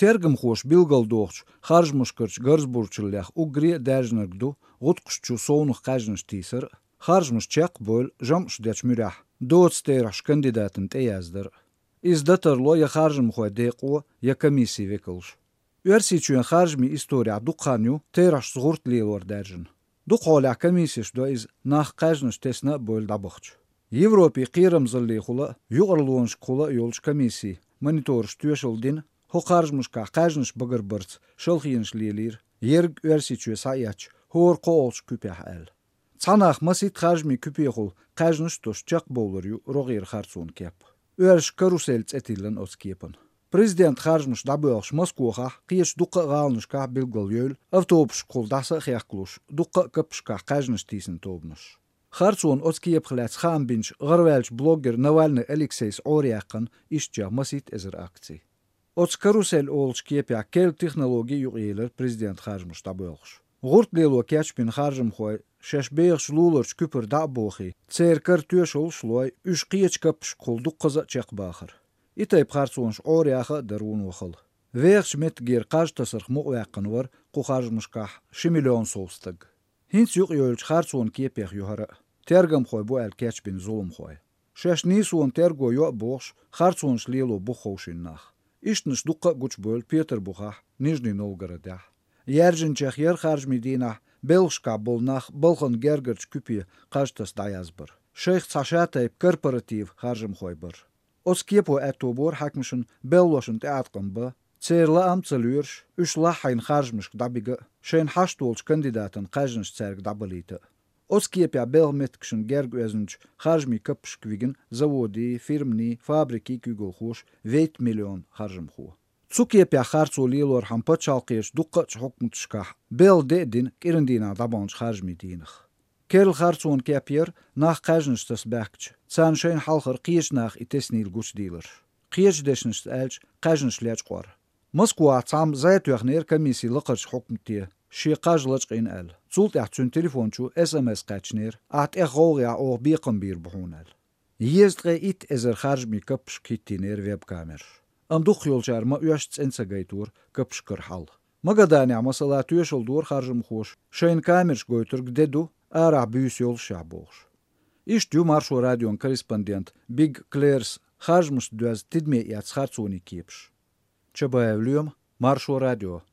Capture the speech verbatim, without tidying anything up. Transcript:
Тергамхоша билгалдохучу харжамашкарчу гарзабурчаллех уггаре а даьржинарг ду гӀутакхашна чу совнаха кхаьжнаш тийсар а, харжамаш чекхбевлла, жамӀаш дечу муьрехь доцу терахьаш кандидатана тӀеяздар а. Иза дан тарло я харжамхойн декъо, я комиссин векалш. Оьрсийчоьнан харжамийн исторехь дукха хан ю терахьашца гӀурт лелор даьржина. Дукха хьолехь комиссеш до иза, нах кхаьжнаш тесна а бевлла дӀабахча. Европин кхерамзаллехула а, юкъарлонашкахула а йолчу комиссийн монитораша тоьшалла дина, хӀокху харжамашкахь кхаьжнаш багарбарца шалхенаш лелийра, ерриг Оьрсийчоь схьаэцча, хӀора кхоалгӀачу куьпехь аьлла. Цхьа нах масийтта харжамийн куьпехула кхаьжнаш а тосуш чекхбовлар ю рогӀера харцонан кеп. Оьрсаша «Карусель» цӀе тиллина оцу кепана. Президентан харжамаш дӀабоьлхуш Москохахь, кхечу дуккха а гӀаланашкахь билгалйевлла, автобусашкахула дӀаса а хехкалуш, дуккха а каппашкахь кхаьжнаш тийсина тобанаш. Харцонан оцу кепах лаьцна хаам бинчу гӀараваьллачу блоггера Навальный Алексейс Ӏораяьккхина ишттачех масийтта эзар акций. Оцу «Карусель» олучу кепехь керла технологи юкъаелира президентан харжамаш дӀабоьлхуш. ГӀурт лело кечбина харжамхой шаьш бехачу луларчу куьпара дӀа а бохий, церан кара тоьшаллаш а лой, уьш кхечу каппашкахула дуккхаза а чекхбахара. И тайпа харцонаш Ӏораяха а дара вуно хала. Вехачу меттигера кхаж тасарх мукъаваьккхина вара кху харжамашкахь ши миллион сов стаг. ХӀинца юкъайовлучу харцонан кепех ю хӀара а, тергамхой бу аьлла кечбина зуламхой. Шаьш нийсонан терго йо а бохуш, харцонаш лело бух ховшийна нах. Ишттанаш дуккха а гучубевлла Петарбухахь, Нижний Новгородехь. Яьржинчех яра харжамийн дийнахь белхашкахь болу нах балхана гергарчу куьпе кхаж таса дӀаязбар. Шайх цхьа шатайпа корпоратив харжамхой бара. Оцу кепо аьтто бора хьаькамашна белхалошна тӀеӀаткъам бан, церан лаам а ца лоьруш, уьш лаххьийна харжамашка дӀабига а, шайна хьашт волчу кандидатан кхаьжнаш цаьрга дӀабалийта а. Оцу кепехь белхан меттигашна герга оьзначу харжамийн каппашка вигна заводийн, фирманийн, фабрикийн куьйгалхоша вейтта миллион харжамхо. Цу кепехь харцо лелорхьама пачхьалкхерчу дуккха а хьукматашкахь белхан де а дина кӀиран дийнахь дӀабаханчу харжамийн дийнах. Керла харцонан кеп яра нах кхаьжнаш таса баьхкича, царна шайна хьалхара кхечу наха и теснийла гучудийларш. Кхечу дешнашца аьлча, кхаьжнаш лечкъор. Москвахь цхьамма зӀе тоьхнера комиссин лакхарчу хьукмате, шен кхаж лачкъийна аьлла. Цул тӀаьхьа цуьнан телефон чу эс эм эс кхаьчнера: «Ахь тӀех гӀовгӀехь оха бекхам бийр бу хьуна», — аьлла. Езткъе итт эзар харжамийн каппашка хӀиттийнера веб-камераш. Амма дукхахйолчара ма оьшшу цӀена ца гайтора каппашкара хьал. Магаданехь, масала, тоьшалла дора харжамхоша, шайна камераш гойтург де ду, арахь буьйса йолушехь бохуш. Иштта ю Маршо радион корреспондент Биг Клэрс харжамашца доьзна тидаме эцна харцонийн кепаш. Чабаев Лоьма, Маршо радио.